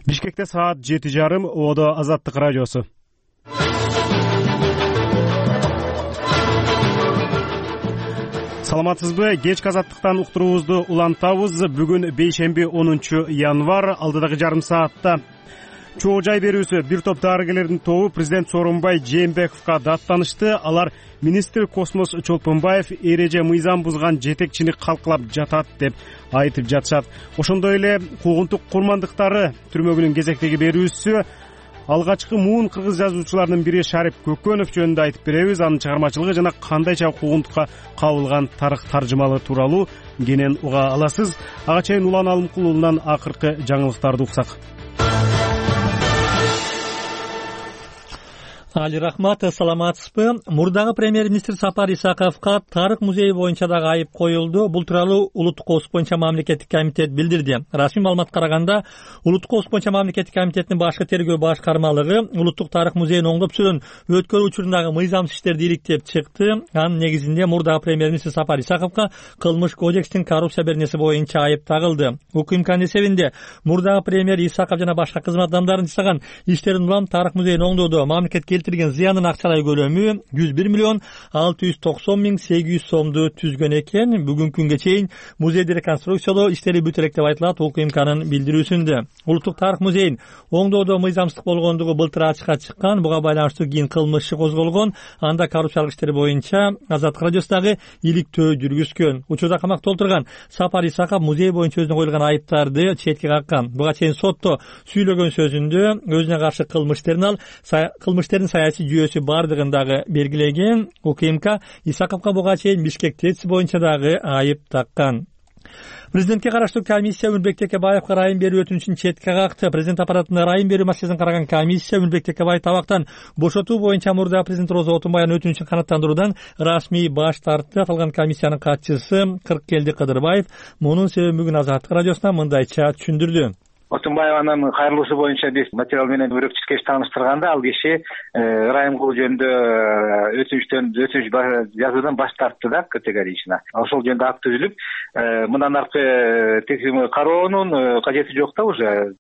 Бишкекте саат 7:30. Одо Азаттык радиосу. Саламатсызбы? Кечки Азаттыктан уктуруубузду улантабыз. Бүгүн бейшемби 10 январь. Алдыдагы жарым саатта чогуу жай берүүсү бир топ дарыгерлердин тобу президент Сооронбай Жээнбековго даттанышты. Алар министр Космос Чолпонбаев эреже мыйзам бузган жетекчини калкалап жатат деп айтып жатышат. Ошондой эле куугунтук курмандыктары түрмөгүнүн кезектеги берүүсү. Алгачкы муун кыргыз жазуучуларынын бири Шарип Көкөнов жөнүндө айтып беребиз. Анын чыгармачылыгы жана кандайча куугунтукка кабылган тарых таржымалы тууралуу кенен уга аласыз. Ага чейин Улан Алымкулунан акыркы жаңылыктарды уксак. Али рахмат, саламатсызбы? Мурдагы премьер-министр Сапар Исаковго тарых музейи боюнча дагы айып коюлду. Бул тууралуу Улуттук коопсуздук боюнча мамлекеттик комитет билдирди. Расмий маалыматка караганда, Улуттук коопсуздук боюнча мамлекеттик комитеттин башкы тергөө башкармалыгы Улуттук тарых музейин оңдоп сүрөн өткөрүү учурундагы мыйзамсыз иштерди иликтеп чыкты. Анын негизинде мурдагы премьер-министр Сапар Исаковго Кылмыш кодекстин коррупция беренеси боюнча айып тагылды. УКМКнын эсебинде мурдагы премьер Исаков жана башка кызмат адамдарын жасаган иштерин улам тарых музейин оңдоодо мамлекет келтирген зыянын акчалай көлөмү 101 миллион 690 миң 800 сомду түзгөн экен. Бүгүнкү күнгө чейин музейди реконструкциялоо иштери бүтө элек деп айтылат УКМКнын билдирүүсүндө. Улуттук тарых музейин оңдоодо мыйзамсыздык болгондугу былтыр ачыкка чыккан. Буга байланыштуу кийин кылмыш иши козголгон. Анда коррупциялык иштер боюнча Азаттык радиосундагы иликтөө жүргүзгөн. Учурда камакта отурган Сапар Исаков музей боюнча өзүнө коюлган айыптарды четке каккан. Буга чейин сотто сүйлөгөн сөзүндө өзүнө каршы кылмыштердин саясий жүйөсү бардыгын дагы белгилеген. УКМК Исаковго буга чейин Бишкек ТЭЦ боюнча дагы айып таккан. Президентке караштуу комиссия Өмүрбек Текебаевга ырайым берүү өтүнүчүн четке какты. Президент аппаратына ырайым берүү маселесин караган комиссия Өмүрбек Текебаев табактан бошотуу боюнча мурда президент Роза Отунбаевдын өтүнүчүн канааттандыруудан расмий баш тартты. Аталган комиссиянын катчысы Кыркелди Кыдырбаев мунун себебин бүгүн Азаттык радиосуна мындайча түшүндүрдү. Отунбаеванын кайрылуусу боюнча биз материал менен өрөкчү тааныштырганда ал киши ырайым кылуу жөнүндө өтүнүч жазуудан баш тартты да, категорично. Ошол жөнүндө акт түзүлүп, мындан аркы текшерүү кароонун кажети жок да уже.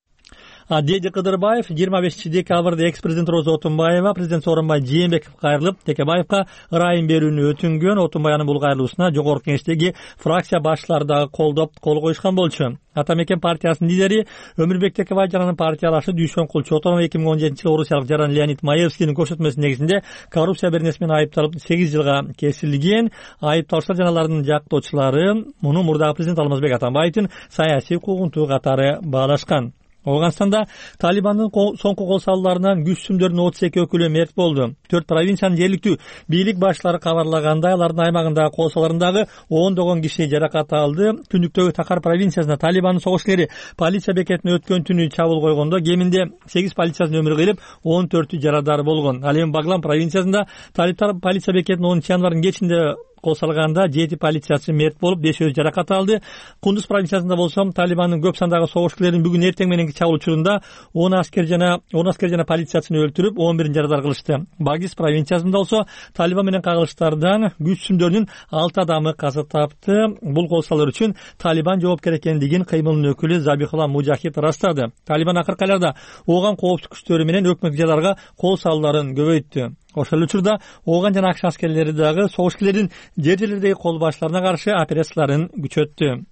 Деди Кыдырбаев 25 декабрда экс-президент Роза Отунбаева президент Сооронбай Жээнбековго кайрылып, Текебаевга ырайым берүүнү өтүнгөн. Отунбаевдин бул кайрылуусуна жогорку кеңештеги фракция башчылары дагы колдоп кол коюшкан болчу. Ата Мекен партиясынын лидери Өмүрбек Текебаев жана партиялашы Дүйшөнкул Чотонов 2017-жылы орусиялык жаран Леонид Маевскийдин көрсөтмөсүнүн негизинде коррупция беренеси менен айыпталып 8 жылга кесилген. Айыпталуучулар жана алардын жактоочулары муну мурдагы президент Алмазбек Атамбаевдин саясий куугунтугу катары баалашкан. Афганстанда Талибандын соңку кол салууларынан күч сүмдөрүнүн 32 өкүлү мерт болду. 4 провинциянын жергиликтүү бийлик башчылары кабарлагандай, алардын аймагындагы кол салууларындагы ондогон киши жаракат алды. Түндүктөгү Такар провинциясында Талибандын согушчулары полиция бекетине өткөн түнү чабуул койгондо кеминде 8 полициячы өмүр кыйылып, 14 жарадар болгон. Ал эми Баглан провинциясында талиптар полиция бекетине 10 январнын кечинде кол салганда 7 полициячы мерт болуп, 5 жаракат алды. Кундуз провинциясында болсо Талибандын көп сандагы согушчуларын бүгүн эртең мененки чабуул учурунда 10 аскер жана полициячыны өлтүрүп, 11 жарадар кылышты. Багис провинциясында болсо Талибан менен кагылыштардан күч сүмдөрүнүн 6 адамы каза тапты. Бул кол салуулар үчүн Талибан жоопкер экендигин кыймылдын өкүлү Забихулла Мужахид растады. Талибан акыркы айларда ооган коопсуздук күчтөрү менен өкмөттүк жайларга кол салууларын көбөйттү. Ошол учурда ооган жана акш аскерлери дагы согушчулардын жер-жерлердеги кол баштарына каршы операцияларын күчөттү.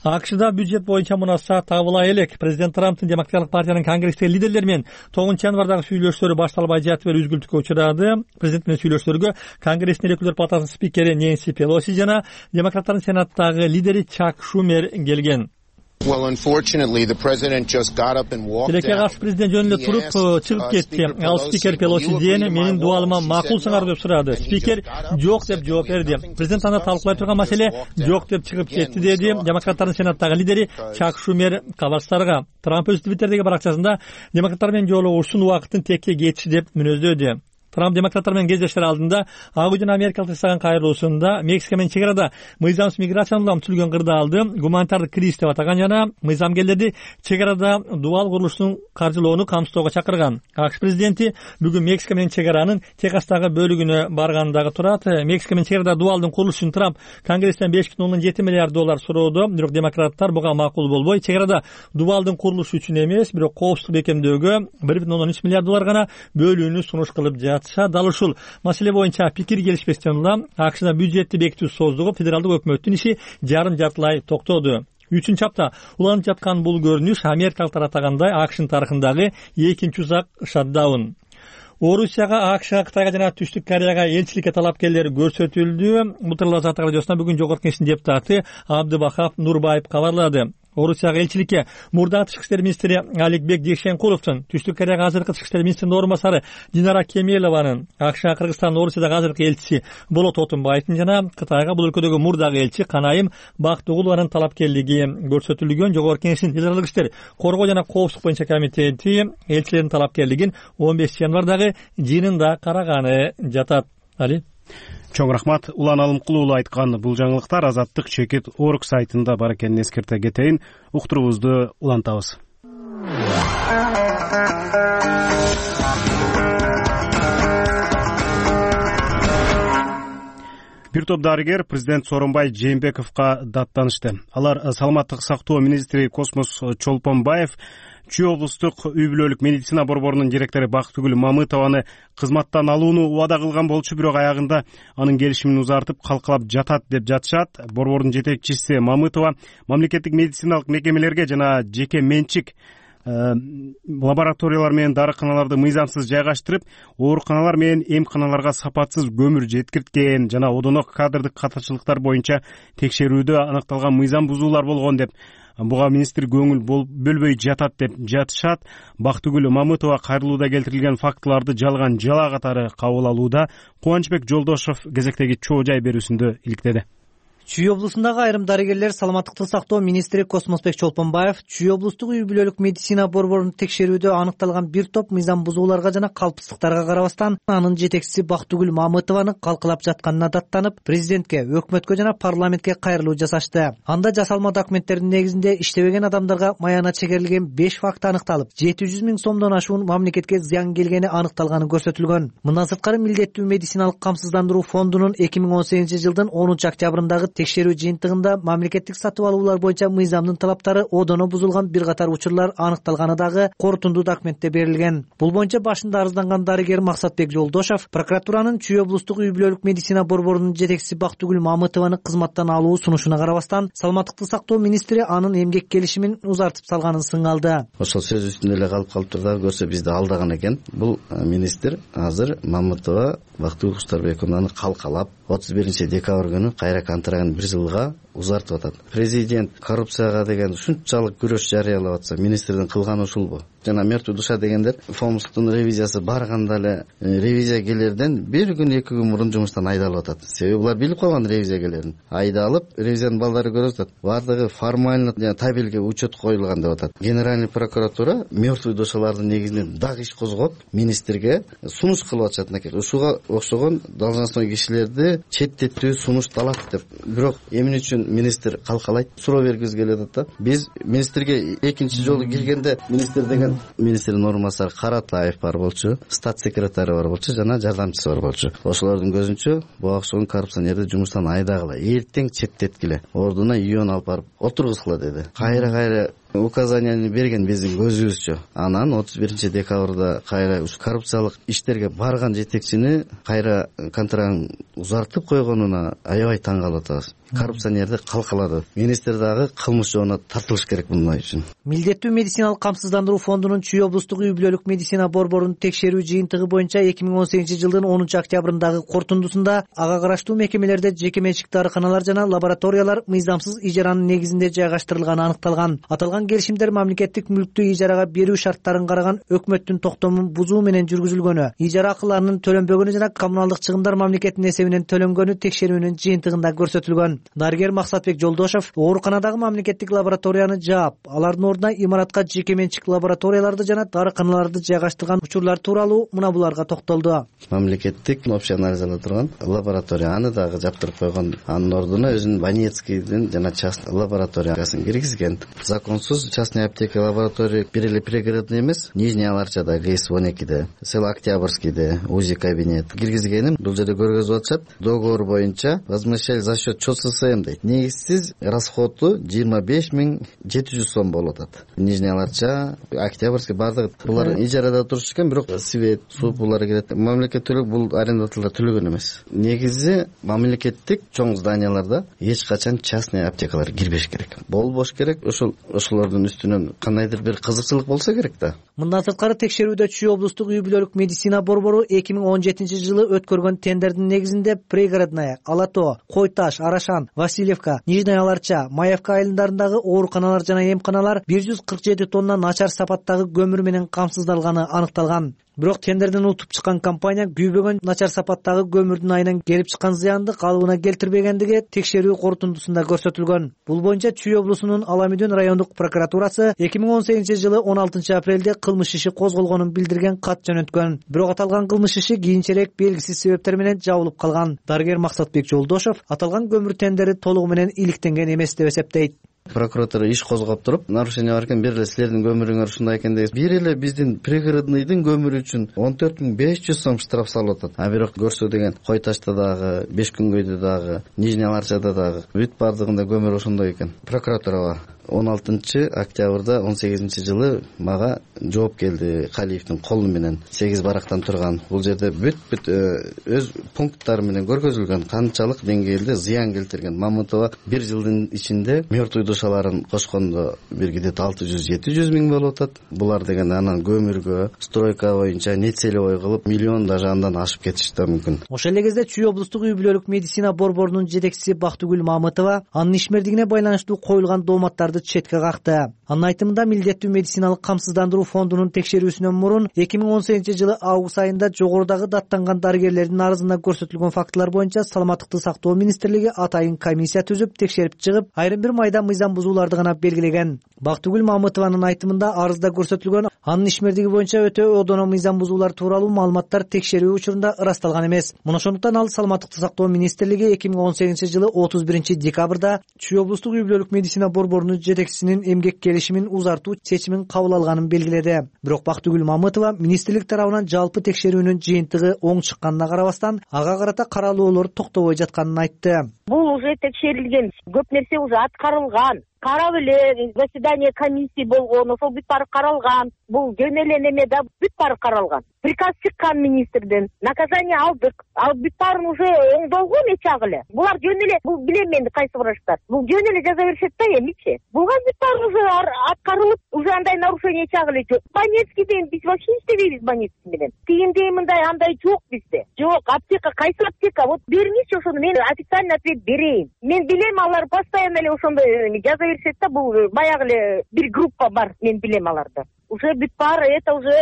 АКШда бюджет боюнча мунаса табыла элек. Президент Трамптын Демократиялык партиянын конгресстеги лидерлери менен 9 январдагы сүйлөшүүлөрү башталбай жатып эле үзгүлтүккө учурады. Президент менен сүйлөшүүлөргө Конгресстин Өкүлдөр палатасынын спикери Нэнси Пелоси жана демократтардын сенаттагы лидери Чак Шумер келген. Тилекке каршы президент жөнүндө туруп чыгып кетти. Ал спикер Пелосиден менин дуалыма макулсыңарбы деп сурады. Спикер жок деп жооп берди. Президент аны талкуулай турган маселе жок деп чыгып кетти, деди демократтардын сенаттагы лидери Чак Шумер кабарчыларга. Трамп өз Твиттердеги баракчасында демократтар менен жолугушуусунун убакытын текке кетиши деп мүнөздөдү. Трамп демократтар менен кездешер алдында Ак үй жана Америкалык жасаган кайрылуусунда Мексика менен чек арада мыйзамсыз миграциянын улам түзүлгөн кырдаалды гуманитардык кризис деп атаган жана мыйзамгерлерди чек арада дубал курулуштун каржылоону камсыздоого чакырган. АКШ президенти бүгүн Мексика менен чек аранын Техастагы бөлүгүнө баргандагы турат. Мексика менен чек арада дубалдын курулушу үчүн Трамп Конгресстен $5,7 миллиард суроодо, бирок демократтар буга макул болбой, чек арада дубалдын курулушу үчүн эмес, бирок коопсуздук бекемдөөгө $1,3 миллиард гана бөлүүнү сунуш кылып жатышат. Ал ушул маселе боюнча пикир келишпестен улам АКШда бюджетти бекитүү создугу федералдык өкмөттүн иши жарым-жартылай токтоду. 3-апта уланып жаткан бул көрүнүш Америкалыктар атагандай АКШнын тарыхындагы экинчи узак шатдаун. Орусияга, АКШга, Кытайга жана Түштүк Кореяга элчиликке талапкерлер көрсөтүлдү. Бул тууралуу Азаттык радиосуна бүгүн Жогорку Кеңештин депутаты Абдыбахап Нурбаев кабарлады. Орусияга элчиликке мурдагы тышкы иштер министри Аликбек Жекшенкуловдун, Түштүк Кореяга азыркы тышкы иштер министринин орун басары Динара Кемелованын, АКШга, Кыргызстандын Орусиядагы азыркы элчиси Болот Отунбаевдин жана Кытайга бул өлкөдөгү мурдагы элчи Канайым Бактыгулованын талапкерлиги көрсөтүлгөн. Жогорку Кеңештин эл аралык иштер, коргоо жана коопсуздук боюнча комитети элчилердин талапкерлигин 15 январдагы жыйынында караганы жатат. Али Чоң рахмат. Улан Алымкулуу айткан бул жаңылыктар Азаттык Чекит Орг сайтында бар экенин эскерте кетейин. Уктуруубузду улантабыз. Бир топ дарыгер президент Сооронбай Жээнбековго даттанышты. Алар саламаттык сактоо министри Космос Чолпонбаев, Чүй облустук үй бүлөлүк медицина борборунун директору Бактыгүл Мамытованы кызматтан алууну убада кылган болчу, бирок аягында анын келишимин узартып калкалап жатат деп жатышат. Борбордун жетекчиси Мамытова мамлекеттик медициналык мекемелерге жана жеке менчик лабораториялар менен дарыканаларды мыйзамсыз жайгаштырып, ооруканалар менен эмканаларга сапатсыз көмүр жеткирткен жана одонок кадрдык катачылыктар боюнча текшерүүдө аныкталган мыйзам бузуулар болгон деп буга министр көңүл бөлбөй жатат деп жатышат. Бактыгүл Мамытова кайрылууда келтирилген фактыларды жалган жала катары кабыл алууда. Кубанычбек Жолдошов кезектеги чоо жай берүүсүндө иликтеди. Чүй облусундагы айрым дарыгерлер саламаттыкты сактоо министри Космосбек Чолпонбаев Чүй облустук үй бүлөлүк медицина борборун текшерүүдө аныкталган бир топ мыйзам бузууларга жана калпсыздыктарга карабастан анын жетекчиси Бактыгүл Мамытованы калкалап жатканына даттанып, президентке, өкмөткө жана парламентке кайрылуу жасашты. Анда жасалма документтердин негизинде иштебеген адамдарга маянат чегерилген 5 факт аныкталып, 700 000 сомдон ашуун мамлекетке зыян келгени аныкталганы көрсөтүлгөн. Мындан сырткары милдеттүү медициналык камсыздандыруу фондунун 2018 жылдын 10 октябрындагы текшерүү жыйынтыгында мамлекеттик сатып алуулар боюнча мыйзамдын талаптары одоно бузулган бир катар учурлар аныкталганы дагы корутунду документте берилген. Бул боюнча башында арызданган дарыгер Максатбек Жолдошов прокуратуранын Чүй облустук үй бүлөлүк медицина борборунун жетекчиси Бактыгүл Мамытованы кызматтан алуу сунушуна карабастан саламаттыкты сактоо министри анын эмгек келишимин узартып салганын сыңалды. Ошол сөз үстүндө эле калып турда көрсө бизди алдаган экен. Бул министр азыр Мамытова Бактыгүл Куштарбековнаны калкалап 31 декабрь күнү кайра контрагын 1 жылга узартып атат. Президент коррупцияга деген ушунчалык күрөш жарыялап атса, министрдин кылганы ушулбу? Жана мертвый душа дегендер фомстун ревизиясы барганда эле ревизиягерлерден 1 күн 2 күн мурун жумуштан айдалып атат. Себеби булар билип калган ревизиягерлерин. Айдалып, ревизиянын балдары көрүп атат. Бардыгы формально жана табелге учет коюлган деп атат. Генеральный прокуратура мертвый душалардын негизинен дагы иш козгоп, министрге сунуш кылып атышат экен. Ушуга окшогон должностной кишилерди четтетүү сунушталат деп. Бирок эмне үчүн министр калкалайт? Суроо бергибиз келип атат да. Биз министрге экинчи жолу келгенде министр деген министрдин орун басары Каратаев бар болчу, стат секретары бар болчу жана жардамчысы бар болчу. Ошолордун көзүнчө буга окшогон коррупционерди жумуштан айдагыла, эртең четтеткиле, ордуна үйөн алып барып отургузгула деди. Кайра указанияны берген биздин көзүбүзчө. Анан 31 декабрда кайра коррупциялык иштерге барган жетекчини кайра контрагын узартып койгонуна аябай таң калып атабыз. Коррупционерди калкалады. Министр дагы кылмыш жоона тартылыш керек мындай үчүн. Милдеттүү медициналык камсыздандыруу фондунун Чүй облустук үй бүлөлүк медицина борборунун текшерүү жыйынтыгы боюнча 2018 жылдын 10 октябрындагы корутундусунда ага караштуу мекемелерде жеке менчик дарыканалар жана лабораториялар мыйзамсыз ижаранын негизинде жайгаштырылганы аныкталган. Аталган Аталган келишимдер мамлекеттик мүлктү ижарага берүү шарттарын караган өкмөттүн токтомун бузуу менен жүргүзүлгөнү, ижара акыларынын төлөнбөгөнү жана коммуналдык чыгымдар мамлекеттин эсебинен төлөнгөнү текшерүүнүн жыйынтыгында көрсөтүлгөн. Дарыгер Максатбек Жолдошов ооруканадагы мамлекеттик лабораторияны жаап, алардын ордуна имаратка жеке менчик лабораторияларды жана дарыканаларды жайгаштырган учурлар тууралуу мына буларга токтолду. Мамлекеттик общий анализде турган лаборатория аны дагы жаптырып койгон, анын ордуна өзүнүн Банецкийдин жана частный лабораториясын киргизген. Законсуз частный аптека лаборатория бир эле пригородный эмес, Нижний Аларчада, ГС-12де, село Октябрьскийде УЗИ кабинет киргизгеним. Бул жерде көргөзүп атышат. Договор боюнча возмещали за счет ЧССМ дейт. Негизсиз расходу 25.700 сом болуп атат. Нижний Аларча, Октябрьский бардыгы булар ижарада турушат экен, бирок свет, суу булар кирет. Мамлекет төлөп, бул арендатылар төлөгөн эмес. Негизи мамлекеттик чоң зданияларда эч качан частный аптекалар кирбеш керек. Болбош керек. Ошолордун үстүнөн кандайдыр бир кызыкчылык болсо керек да. Мындан сырткары текшерүүдө Чүй облустук үй бүлөлүк медицина борбору 2017 жылы өткөргөн тендердин негизинде пригородная, Ала Тоо, Кой Таш, Арашан, Васильевка, Нижний Аларча, Маевка айылдарындагы ооруканалар жана эмканалар 147 тонна начар сапаттагы көмүр менен камсыздалганы аныкталган. Бирок тендерден утуп чыккан компания күйбөгөн начар сапаттагы көмүрдүн айынан келип чыккан зыянды калыбына келтирбегендиги текшерүү корутундусунда көрсөтүлгөн. Бул боюнча Чүй облусунун Аламүдүн райондук прокуратурасы 2018 жылы 16 апрелде кылмыш иши козголгонун билдирген кат жөнөткөн. Бирок аталган кылмыш иши кийинчерээк белгисиз себептер менен жабылып калган. Дарыгер Максатбек Жолдошов аталган көмүр тендери толугу менен иликтенген эмес деп эсептейт. Прокуратура иш козгоп туруп, нарушение бар экен, бир эле силердин көмүрүңөр ушундай экен деп, бир эле биздин пригородныйдын көмүрү үчүн 14.500 сом штраф салып атат. А бирок көрсө деген Кой Ташта дагы, Бешкүнгөйдө дагы, Нижний Аларчада дагы бүт бардыгында көмүр ошондой экен. Прокуратурага 16 октябрда 18 жылы мага жооп келди Калиевдин колу менен. 8 барактан турган. Бул жерде бүт өз пункттары менен көргөзүлгөн канчалык деңгээлде зыян келтирген. Мамытова бир жылдын ичинде мертвый душаларын кошкондо бир где-то 600-700 миң болуп атат. Булар деген анан көмүргө, стройка боюнча нецелевой кылып миллион даже андан ашып кетиши да мүмкүн. Ошол эле кезде Чүй облустук үй бүлөлүк медицина борборунун жетекчиси Бактыгүл Мамытова анын ишмердигине байланыштуу коюлган дооматтарды четке какты. Анын айтымында милдеттүү медициналык камсыздандыруу фондунун текшерүүсүнөн мурун 2018 жылы август айында жогорудагы даттанган дарыгерлердин арызында көрсөтүлгөн фактылар боюнча Саламаттыкты сактоо министрлиги атайын комиссия түзүп текшерип чыгып, айрым бир майда мыйзам бузууларды гана белгилеген. Бактыгүл Мамытованын айтымында арызда көрсөтүлгөн анын ишмердиги боюнча өтө одоно мыйзам бузуулар тууралуу маалыматтар текшерүү учурунда ырасталган эмес. Мына ошондуктан ал Саламаттыкты сактоо министрлиги 2018 жылы 31 декабрда Чүй облустук үй бүлөлүк медицина борборунун жетекчисинин эмгек келишимин узартуу чечимин кабыл алганын белгиледи. Бирок Бактыгүл Мамытова министрлик тарабынан жалпы текшерүүнүн жыйынтыгы оң чыкканына карабастан, ага карата каралоолор токтобой жатканын айтты. Бул уже текшерилген, көп нерсе уже аткарылган. Карап эле заседание комиссии болгон, ошол бүт баары каралган. Бул жөн эле неме да бүт баары каралган. Приказ чыккан министрден, наказание алдык. Ал бүт баарын уже оңдолгон эч ак эле. Булар жөн эле, бул билем мен кайсы врачтар. Бул жөн эле жаза беришет да эмичи. Булга бүт баары уже аткарылып, уже андай нарушение эч ак эле жок. Банецкийден биз вообще иштебейбиз Банецкий менен. Тигиндей мындай андай жок бизде. Жок, аптека, кайсы аптека? Вот бериңизчи ошону, мен официальный ответ берейин. Мен билем алар постоянно эле ошондой жаза беришет да, бул баягы эле бир группа бар, мен билем аларды. Уже бүт баары это уже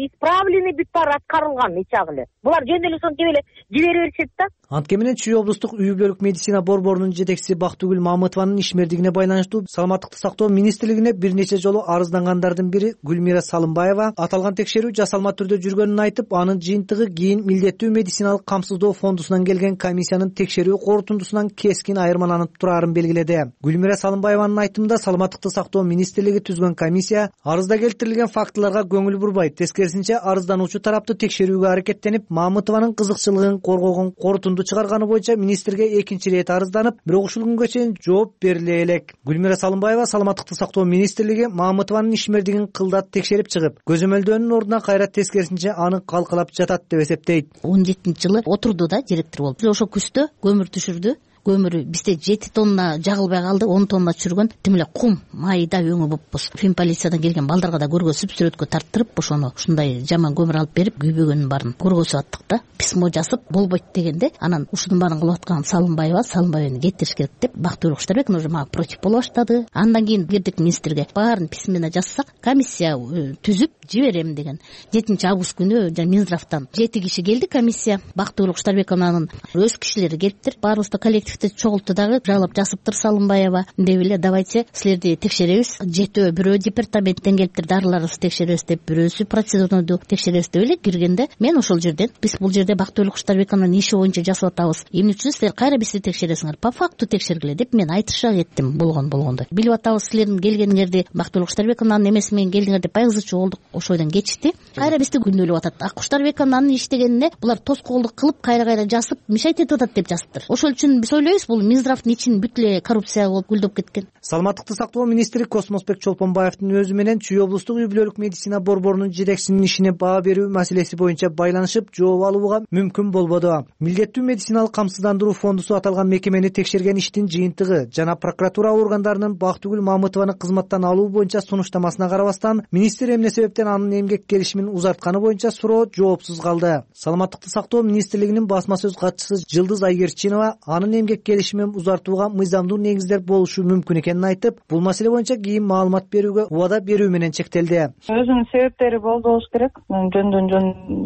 исправленный, бүт баары аткарылган эч ак эле. Булар жөн эле ошону жибере беришет да. Анткени менен Чүй облустук үй бүлөлүк медицина борборунун жетекчиси Бактыгүл Мамытованын ишмердигине байланыштуу Саламаттыкты сактоо министрлигине бир нече жолу арыздангандардын бири Гүлмира Салымбаева аталган текшерүү жасалма түрдө жүргөнүн айтып, анын жыйынтыгы кийин милдеттүү медициналык камсыздоо фондусунан келген комиссиянын текшерүү корутундусунан кескин айырмаланып турарын белгиледи. Гүлмира Салымбаеванын айтымында Саламаттыкты сактоо министрлиги түзгөн комиссия арызда келтирилген фактыларга көңүл бурбайт, тескерисинче арыздануучу тарапты текшерүүгө аракеттенип, Мамытованын кызыкчылыгын коргогон корутунду чыгарганы боюнча министрге экинчи ирет арызданып, бирок ушул күнгө чейин жооп бериле элек. Гүлмира Салымбаева Саламаттыкты сактоо министрлиги Мамытованын ишмердигин кылдат текшерип чыгып, көзөмөлдөөнүн ордуна кайра тескерисинче аны калкалап жатат деп эсептейт. 17 жылы отурду да директор болуп. Ошо күздө көмүр түшүрдү. көмүрү бизде 7 тонна жагылбай калды, 10 тонна чүргөн тим эле кум майда өңү болуппуз. Финполициядан келген балдарга да көргөзүп, сүрөткө тарттырып ошону ушундай жаман көмүр алып берип күйбөгөнүн баарын көргөзүп аттык да. Письмо жазып болбойт дегенде анан ушунун баарын кылып аткан Салымбаеваны кеттириш керек деп Бактыгүл Куштарбековна уже мага против боло баштады. Андан кийин кирдик министрге, баарын письменно жазсак комиссия түзүп жиберем деген. 7-август күнү Минздравтан 7 киши келди комиссия. Бактыгүл Куштарбековнанын өз кишилери келиптир. Баарыбызды коллективди чогултту дагы жалап жазыптыр Салымбаева. Деп эле давайте силерди текшеребиз. Бирөө департаменттен келиптир, дарыларыбызды текшеребиз деп, бирөөсү процедурну текшеребиз деп эле киргенде мен ошол жерден биз бул жерде Бактыгүл Куштарбековнанын иши боюнча жасап атабыз. Эмне үчүн силер кайра бизди текшересиңер? По факту текшергиле деп мен айтышак эттим болгондой. Билип атабыз силердин келгениңерди, Бактыгүл Куштарбековнанын эмеси менен келдиңер деп байгызычу болдук. Ошойдон кечти. Кайра бизди күнөөлөп атат. Куштарбековнанын иштегенине булар тоскоолдук кылып, кайра жазып, мешайт этип атат деп жазыптыр. Ошол үчүн биз ойлойбуз, бул Минздравдын ичин бүт эле коррупция болуп гүлдөп кеткен. Саламаттыкты сактоо министри Космосбек Чолпонбаевдин өзү менен Чүй облустук үй бүлөлүк медицина борборунун жетекчисинин ишине баа берүү маселеси боюнча байланышып жооп алууга мүмкүн болбоду. Милдеттүү медициналык камсыздандыруу фондусу аталган мекемени текшерген иштин жыйынтыгы жана прокуратура органдарынын Бактыгүл Мамытованы кызматтан алуу боюнча сунуштамасына карабастан министр эмне себептен анын эмгек келишимин узартканы боюнча суроо жоопсуз калды. Саламаттыкты сактоо министрлигинин басма сөз катчысы Жылдыз Айгерчинова анын эмгек келишимин узартууга мыйзамдуу негиздер болушу мүмкүн экенин айтып, бул маселе боюнча кийин маалымат берүүгө убада берүү менен чектелди. Өзүнүн себептери болду болуш керек. Жөндөн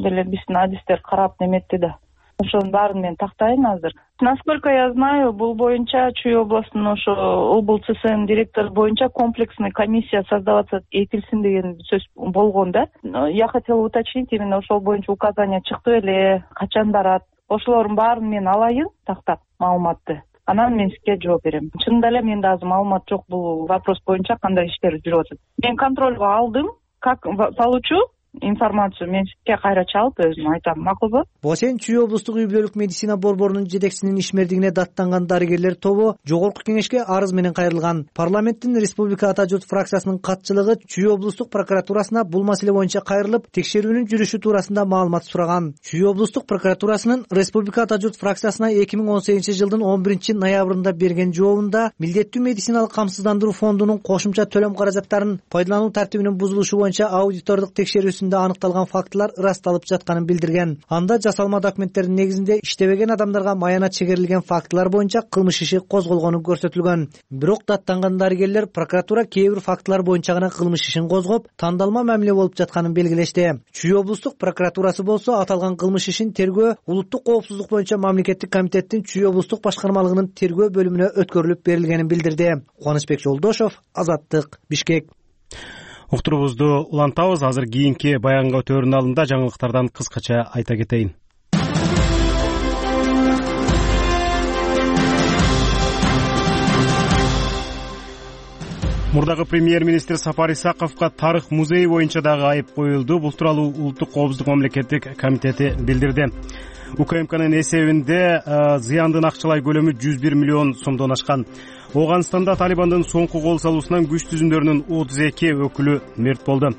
деле биздин адистер карап неметти да. Ошонун баарын мен тактайын азыр. Насколько я знаю, бул боюнча Чүй областынын ошо ОБЛЦСН директору боюнча комплексный комиссия создаваться этилсин деген сөз болгон да. Я хотела уточнить, именно ошол боюнча указания чыкты беле, качан барат. Ошолордун баарын мен алайын тактап маалыматты. Анан мен сизге жооп берем. Чынында эле менде азыр маалымат жок бул вопрос боюнча кандай иштер жүрүп атат. Мен контролго алдым. Как получу информацию мен сизге кайра чалып өзүм айтам, макулбу? Бошен Чүй облустук үй бүлөлүк медицина борборунун жетекчисинин ишмердигине даттанган дарыгерлер тобу жогорку кеңешке арыз менен кайрылган. Парламенттин Республика Ата журт фракциясынын катчылыгы Чүй облустук прокуратурасына бул маселе боюнча кайрылып, текшерүүнүн жүрүшү туурасында маалымат сураган. Чүй облустук прокуратурасынын Республика Ата журт фракциясына 2018-жылдын 11-ноябрында берген жообунда милдеттүү медициналык камсыздандыруу фондунун кошумча төлөм каражаттарын пайдалануу тартибинин бузулушу боюнча аудитордук текшерүүсү аныкталган фактылар ырасталып жатканын билдирген. Анда жасалма документтердин негизинде иштебеген адамдарга маянат чегерилген фактылар боюнча кылмыш иши козголгону көрсөтүлгөн. Бирок даттанган дарыгерлер прокуратура кээ бир фактылар боюнча гана кылмыш ишин козгоп, тандалма мамиле болуп жатканын белгилешти. Чүй облустук прокуратурасы болсо аталган кылмыш ишин тергөө улуттук коопсуздук боюнча мамлекеттик комитеттин Чүй облустук башкармалыгынын тергөө бөлүмүнө өткөрүлүп берилгенин билдирди. Кубанычбек Жолдошов, Азаттык, Бишкек. Уктурубузду улантабыз. Азыр кийинки баянга өтөөрүнүн алдында жаңылыктардан кыскача айта кетейин. Мурдагы премьер-министр Сапар Исаковго тарых музейи боюнча дагы айып коюлду. Бул тууралуу Улуттук коопсуздук мамлекеттик комитети билдирди. УКМКнын эсебинде зыяндын акчалай көлөмү 101 миллион сомдон ашкан. Ооганстанда Талибандын соңку кол салуусунан күч түзүмдөрүнүн 32 өкүлү мерт болду.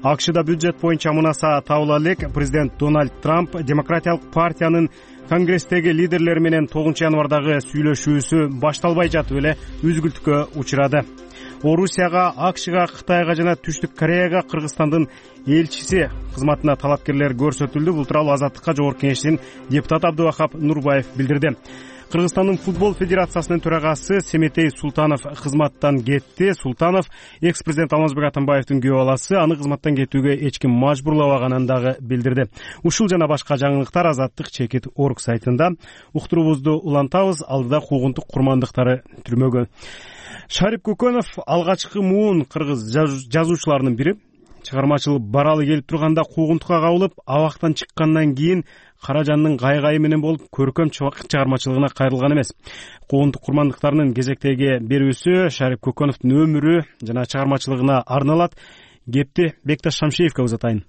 АКШда бюджет боюнча мунаса табыла элек президент Дональд Трамп демократиялык партиянын конгресстеги лидерлери менен 9 январдагы сүйлөшүүсү башталбай жатып эле үзгүлтүккө учурады. Орусияга, АКШга, Кытайга жана Түштүк Кореяга Кыргызстандын элчиси кызматына талапкерлер көрсөтүлдү. Бул тууралуу Азаттыкка жогорку кеңештин депутат Абдывахап Нурбаев билдирди. Кыргызстандын футбол федерациясынын төрагасы Семетей Султанов кызматтан кетти. Султанов экс-президент Алмазбек Атамбаевдин күйөө баласы, аны кызматтан кетүүгө эч ким мажбурлабаганын дагы билдирди. Ушул жана башка жаңылыктар Азаттык чекит орг сайтында. Уктурубузду улантабыз. Алдыда куугунтук курмандыктары түрмөгө. Шарип Көкөнов алгачкы муун кыргыз жазуучуларынын бири. Чыгармачылык баралы келип турганда куугунтукка кабылып, абактан чыккандан кийин Каражандын кайгайы менен болуп, көркөм чыгармачылыгына кайрылган эмес. Куугунтук курмандыктарынын кезектеги берүүсү Шарип Көкөновдун өмүрү жана чыгармачылыгына арналат. Кепти Бекташ Шамшиевке узатайын.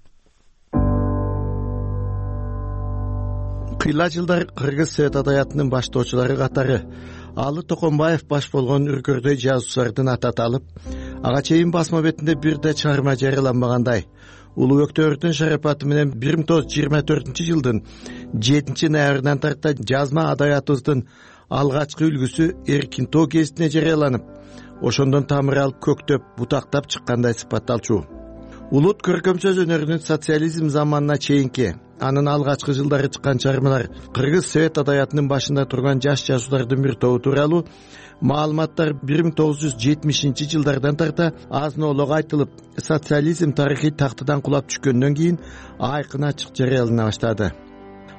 Кыйла жылдар Кыргыз Совет адабиятынын баштоочулары катары Алы Токонбаев баш болгон үркөрдөй жазуучулардын аты аталып, ага чейин басма бетинде бир да чыгарма жарыяланбагандай. Улуу өктөрдүн шарапаты менен 1924-жылдын 7-ноябрынан тарта жазма адабиятыбыздын алгачкы үлгүсү эркин тоо гезитине жарыяланып, ошондон тамыр алып көктөп, бутактап чыккандай сыпатталчу. Улут көркөм сөз өнөрүнүн социализм заманына чейинки, анын алгачкы жылдары чыккан чыгармалар кыргыз совет адаятынын башында турган жаш жазуучулардын бир тобу тууралуу маалыматтар 1970-жылдардан тарта азын-оолок айтылып, социализм тарыхый тактыдан кулап түшкөндөн кийин айкын ачык жарыялана баштады.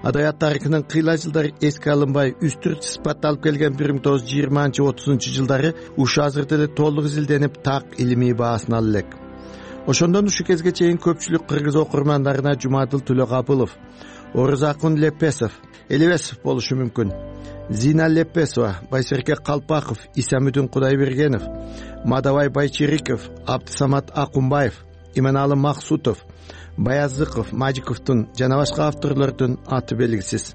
Адаят тарыхынын кыйла жылдары эске алынбай, үстүрт сыпатталып келген 1920-30 жылдары ушу азыр деле толук изилденип, так илимий баасын ала элек. Ошондон ушу кезге чейин көпчүлүк кыргыз окурмандарына Жумадыл Төлөкапылов, Орузакун Лепесов, Элебесов болушу мүмкүн. Зина Лепесова, Байсерке Калпаков, Исамүдүн Кудайбергенов, Мадабай Байчериков, Абдысамат Акунбаев, Именалы Максутов, Баязыков, Мажиковдун жана башка авторлордун аты белгисиз.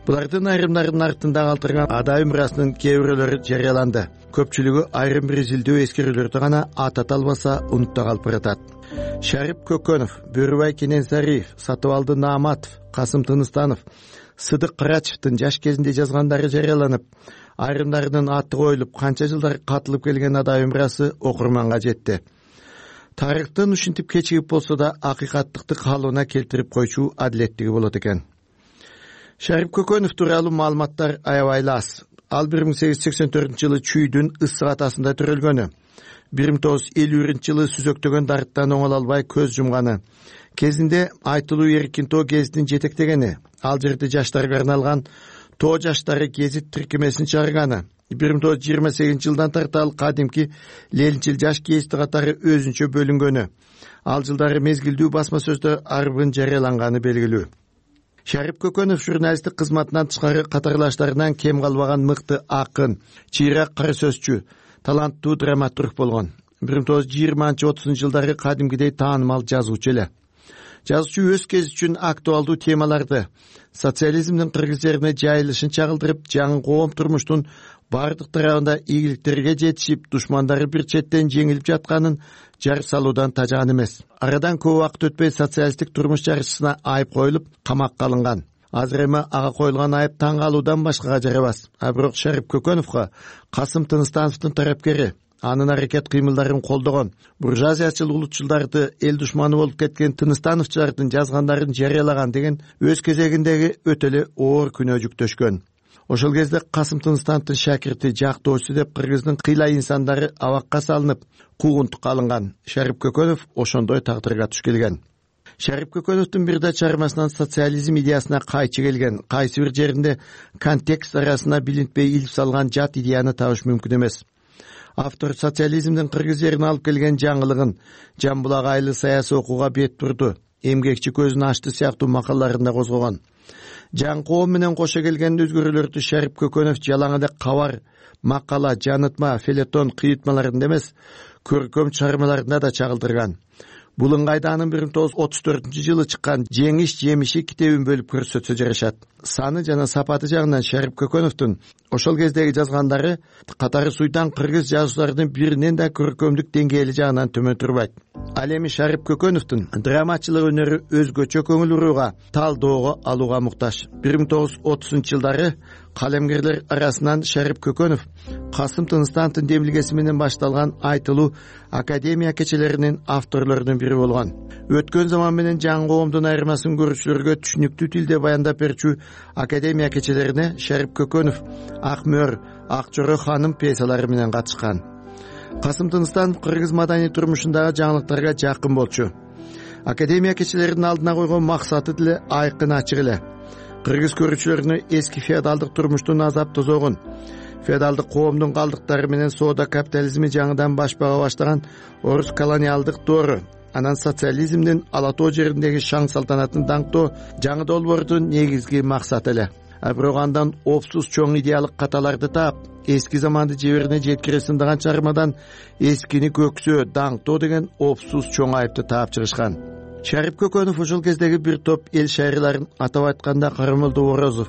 Булардын айрымдарынын артында калтырган ада өмүрасынын кээ бирөөлөрү жарыяланды. Көпчүлүгү айрым бир изилдөө эскерүүлөрдү гана атата албаса унутта калып баратат. Шарип Көкөнов, Бөрүбай Кененсариев, Сатыбалды Нааматов, Касым Тыныстанов, Сыдык Кырачевдин жаш кезинде жазгандары жарыяланып, айрымдарынын аты коюлуп, канча жылдар катылып келген ада өмүрасы окурманга жетти. Тарыхтын ушинтип кечигип болсо да акыйкаттыкты калыбына келтирип койчу адилеттиги болот экен. Шарип Көкөнов тууралуу маалыматтар аябай аз. Ал 1884-жылы Чүйдүн Issык атасында төрөлгөнү. 1950-жылы сүзөктөгөн дарттан оңоло албай көз жумганы. Кезинде айтылуу эркин тоо гезитин жетектегени. Ал жерде жаштарга арналган Тоо жаштары гезит тиркемесин чыгарганы. 1928-жылдан тарта ал кадимки Ленчил жаш гезити катары өзүнчө бөлүнгөнү. Ал жылдары мезгилдүү басма сөздө арбын жарыяланганы белгилүү. Шарип Көкөнов журналисттик кызматынан тышкары катарлаштарынан кем калбаган мыкты акын, чыйрак кара сөзчү, таланттуу драматург болгон. 1920-30 жылдары кадимгидей таанымал жазуучу эле. Жазуучу өз кези үчүн актуалдуу темаларды, социализмдин кыргыз жерине жайылышын чагылдырып, жаңы коом турмуштун бардык тарабында ийгиликтерге жетишип, душмандары бир четтен жеңилип жатканын жар салуудан тажаган эмес. Арадан көп убакыт өтпөй социалисттик турмуш жарчысына айып коюлуп, камакка алынган. Азыр эми ага коюлган айып таң калуудан башкага жарабас. Бирок Шарип Көкөновго Касым Тыныстановдун тарапкери, анын аракет кыймылдарын колдогон, буржуазиячыл улутчулдарды эл душманы болуп кеткен Тыныстановчулардын жазгандарын жарыялаган деген өз кезегиндеги өтө эле оор күнөө жүктөшкөн. Ошол кезде Касым Тыныстановдун шакирти, жактоочусу деп кыргыздын кыйла инсандары абакка салынып, куугунтукка алынган. Шарип Көкөнов ошондой тагдырга туш келген. Шарип Көкөновдун бир да чыгармасынан социализм идеясына кайчы келген, кайсы бир жеринде контекст арасына билинтпей илип салган жат идеяны табыш мүмкүн эмес. Автор социализмдин кыргыз жерине алып келген жаңылыгын Жамбулак айлы саясий окууга бет бурду, эмгекчи көзүн ачты сыяктуу макалаларында козгогон. Жаңы коом менен кошо келген өзгөрүүлөрдү Шарип Көкөнов жалаң эле кабар, макала, жанытма, фелетон кыйытмаларында эмес, көркөм чыгармаларында да чагылдырган. Бул ыңгайда анын 1934-жылы чыккан Жеңиш жемиши китебин бөлүп көрсөтсө жарашат. Саны жана сапаты жагынан Шарип Көкөновдун ошол кездеги жазгандары катары суйдан кыргыз жазуучуларынын биринен да көркөмдүк деңгээли жагынан төмөн турбайт. Ал эми Шарип Көкөновдун драматчылык өнөрү өзгөчө көңүл бурууга, талдоого алууга муктаж. 1930-жылдары калемгерлер арасынан Шарип Көкөнов Касым Тыныстановдун демилгеси менен башталган айтылуу академия кечелеринин авторлорунун бири болгон. Өткөн заман менен жаңы коомдун айырмасын көрүүчүлөргө түшүнүктүү тилде баяндап берчү академия кечелерине Шарип Көкөнов Акмөр, Акчоро ханым пьесалары менен катышкан. Касым Тыныстанов кыргыз маданий турмушундагы жаңылыктарга жакын болчу. Академия кечелеринин алдына койгон максаты деле айкын ачык эле. Кыргыз көрүүчүлөрүнө эски феодалдык турмуштун азап тозогун, феодалдык коомдун калдыктары менен соода капитализми жаңыдан башпага баштаган орус колониалдык доору, анан социализмдин ала тоо жериндеги шаң салтанатын даңктоо жаңы долбоордун негизги максаты эле. Бирок андан опсуз чоң идеялык каталарды таап, эски заманды жеберине жеткире сындаган чыгармадан эскини көксөө, даңктоо деген опсуз чоң айыпты таап чыгышкан. Шарип Көкөнов ошол кездеги бир топ эл шайырларын, атап айтканда Карамолдо Орозов,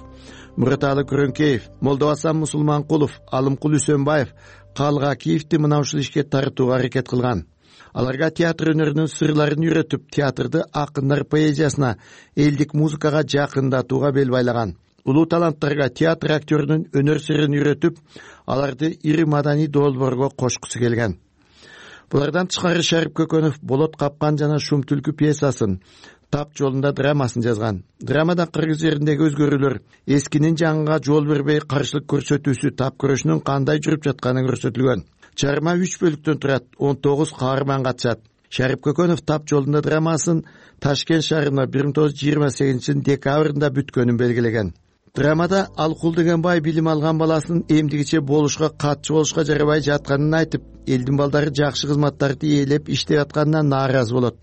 Мураталы Күрөңкеев, Молдобасан Мусулманкулов, Алымкул Үсөнбаев, Калгакиевди мына ушул ишке тартууга аракет кылган. Аларга театр өнөрүнүн сырларын үйрөтүп, театрды акындар поэзиясына, элдик музыкага жакындатууга бел байлаган. улуу таланттарга театр актёрунун өнөр сырын үйрөтүп, аларды ири маданий долбоорго кошкусу келген. Булардан тышкары Шарип Көкөнов Болот капкан жана Шум түлкү пьесасын, Тап жолунда драмасын жазган. Драмада кыргыз жериндеги өзгөрүүлөр, эскинин жаңыга жол бербей каршылык көрсөтүүсү тап күрөшүнүн кандай жүрүп жатканы көрсөтүлгөн. Чарма 3 бөлүктөн турат, 19 каарман катышат. Шарип Көкөнов Тап жолунда драмасын Ташкент шаарына 1928 декабрында бүткөнүн белгилеген. Драмада Алкул деген бай билим алган баласын эмдигиче болушка, катчы болушка жарабай жатканын айтып, элдин балдары жакшы кызматтарды ээлеп иштеп атканына нааразы болот.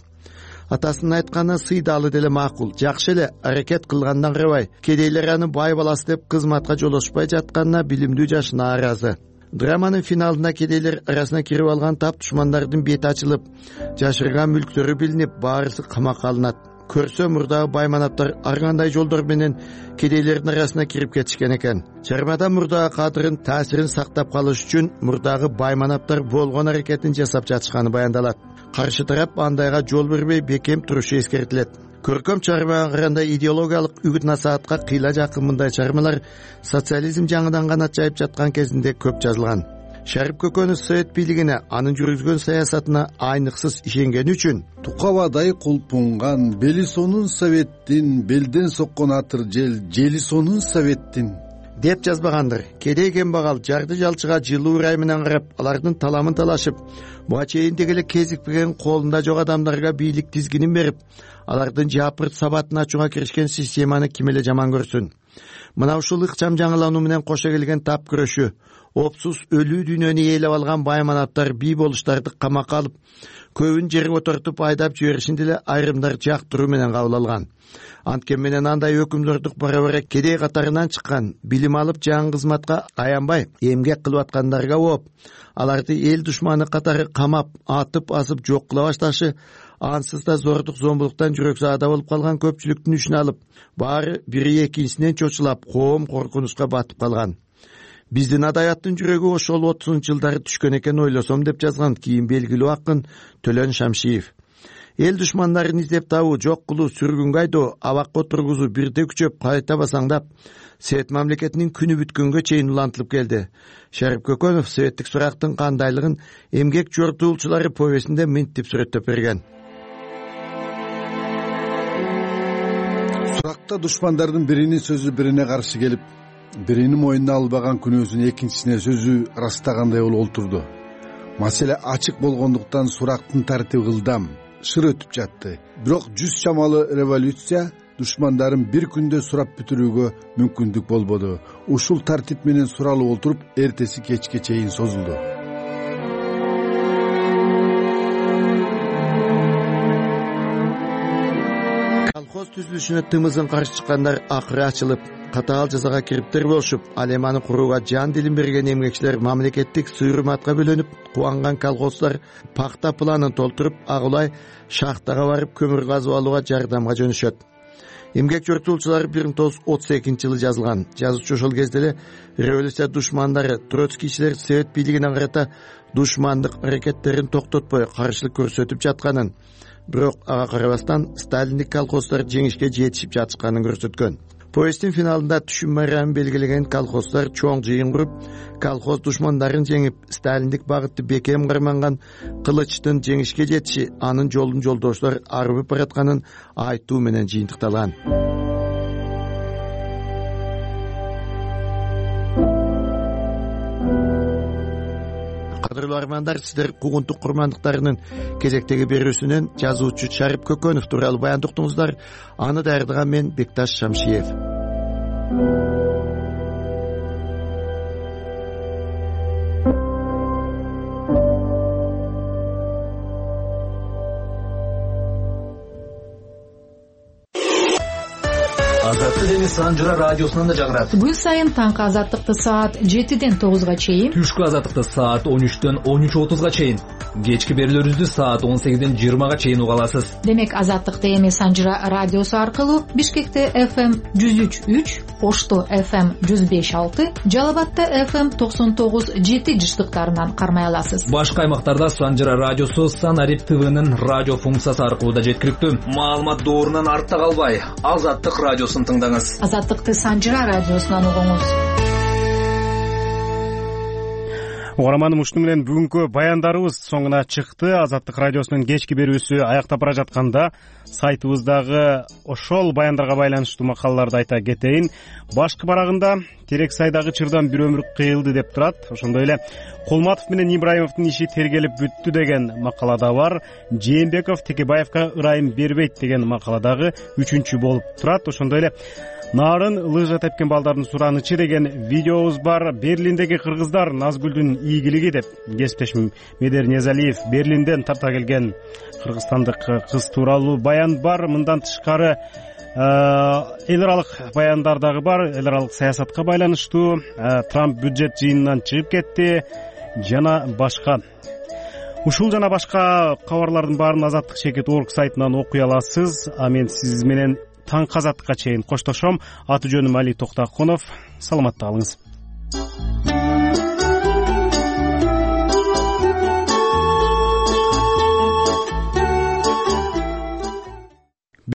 Атасынын айтканы сыйдалы деле макул, жакшы эле аракет кылгандан карабай, кедейлер аны бай баласы деп кызматка жолошпай жатканына билимдүү жаш нааразы. Драманын финалында кедейлер арасына кирип алган тап душмандардын бети ачылып, жашырган мүлктөрү билинип, баарысы камакка алынат. Көрсө мурдагы байманаптар ар кандай жолдор менен кедейлердин арасына кирип кетишкен экен. Чармада мурдагы кадырын, таасирин сактап калыш үчүн мурдагы байманаптар болгон аракетин жасап жатышканы баяндалат. Каршы тарап андайга жол бербей бекем турушу эскертилет. Көркөм чармага караганда идеологиялык үгүт насаатка кыйла жакын мындай чармалар социализм жаңыдан гана чайып жаткан кезинде көп жазылган. Шарип Көкөнов совет бийлигине, анын жүргүзгөн саясатына айныксыз ишенгени үчүн тукабадай кулпунган Белисонун советтин, белден соккон атыр жели сонун советтин деп жазбагандыр. Кедей кембагал жарды жалчыга жылуу ырай менен карап, алардын таламын талашып, буга чейиндеги эле кезикпеген колунда жок адамдарга бийлик тизгинин берип, алардын жапырт сабатын ачууга киришкен системаны ким эле жаман көрсүн. Мына ушул ыкчам жаңылануу менен кошо келген тап күрөшү, опсуз өлүү дүйнөнү ээлеп алган байманаттар бий болуштарды камакка алып, көбүн жерге отортуп айдап жиберишинде эле айрымдар жактыруу менен кабыл алган. Анткени менен андай өкүмдөрдүк бара-бара кедей катарынан чыккан, билим алып жаңы кызматка аянбай эмгек кылып аткандарга ооп, аларды эл душманы катары камап, атып асып жок кыла башташы, ансыз да зордук зомбулуктан жүрөксаада болуп калган көпчүлүктүн үчүн алып, баары бири экинчисинен чочулап, коом коркунучка батып калган. Биздин адабияттын жүрөгү ошол 30-жылдары түшкөн экен ойлосом деп жазган кийин белгилүү акын Төлөн Шамшиев. Эл душмандарын издеп табуу, жок кылуу, сүргүнгө айдоо, абакка отургузуу бирде күчөп, кайта басаңдап, Совет мамлекетинин күнү бүткөнгө чейин улантылып келди. Шарип Көкөнов советтик сурактын кандайлыгын эмгек жортуулчулары повестинде минтип сүрөттөп берген. Суракта душмандардын биринин сөзү бирине каршы келип, биринин мойнуна албаган күнөөсүн экинчисине сөзү ырастагандай болуп олтурду. Маселе ачык болгондуктан сурактын тартиби ылдам, шыр өтүп жатты. Бирок 100 чамалы революция душмандарын бир күндө сурап бүтүрүүгө мүмкүндүк болбоду. Ушул тартип менен суралып олтуруп, эртеси кечке чейин созулду. Колхоз түзүлүшүнө тымызын каршы чыккандар акыры ачылып, катаал жазага кириптер болушуп, ал эми аны курууга жан дилин берген эмгекчилер мамлекеттик сый-урматка бөлөнүп, кубанган колхоздар пакта планын толтуруп, агулай шахтага барып көмүр казып алууга жардамга жөнөшөт. Эмгек жортуулчулар 1932-жылы жазылган. Жазуучу ошол кезде эле революция душмандары, троцкийчилер совет бийлигине карата душмандык аракеттерин токтотпой каршылык көрсөтүп жатканын, бирок ага карабастан сталиндик колхоздар жеңишке жетишип жатышканын көрсөткөн. Повесттин финалында түшүм майрамын белгилеген колхоздар чоң жыйын куруп, колхоз душмандарын жеңип, сталиндик багытты бекем карманган кылычтын жеңишке жетиши, анын жолун жолдоштор арбып баратканын айтуу менен жыйынтыкталган. Кадырлуу армандар, сиздер куугунтук курмандыктарынын кезектеги берүүсүнөн жазуучу Шарип Көкөнов тууралуу баян уктуңуздар. Аны даярдаган мен Бекташ Шамшиев. Азаттык Дениз Санжыра радиосунан да жаңырат. Күн сайын таңкы азаттыкты саат 7-ден 9-га чейин, түшкү азаттыкты саат 13-дөн 13:30-га чейин. Кечки берүүлөрүбүздү саат 18-20 чейин уга аласыз. Демек Азаттык ТМ Санжыра радиосу аркылуу Бишкекте FM 103.3, Ошто FM 105.6, Жалал Абадта FM 99.7 жыштыктарынан кармай аласыз. Башка аймактарда Санжыра радиосу Санарип ТВнын радио функциясы аркылуу да жеткиликтүү. Маалымат доорунан артта калбай, Азаттык радиосун тыңдаңыз. Азаттыкты Санжыра радиосунан угуңуз. Угарманым, ушуну менен бүгүнкү баяндарыбыз соңуна чыкты. Азаттык радиосунун кечки берүүсү аякта бара жатканда сайтыбыздагы ошол баяндарга байланыштуу макалаларды айта кетейин. Башкы барагында Терек сайдагы чырдан бир өмүр кыйылды деп турат. Ошондой эле Кулматов менен Ибраимовдун иши тергелип бүттү деген макалада бар. Жээнбеков Текебаевка ырайым бербейт деген макаладагы 3-чү болуп турат. Ошондой эле Нарын лыжа тепкен балдардын суранычы деген видеобуз бар. Берлиндеги кыргыздар Назгүлдүн ийгилиги деп кесиптешим Медер Незалиев Берлинден тарта келген кыргызстандык кыз тууралуу баян бар. Мындан тышкары эл аралык баяндар дагы бар. Эл аралык саясатка байланыштуу, Трамп бюджет жыйынынан чыгып кетти жана башка. Ушул жана башка кабарлардын баарын Азаттык.org сайтынан окуй аласыз. А мен сиз менен таңкы азаттыкка чейин коштошом. Аты жөнүм Али Токтоконов. Саламатта калыңыз.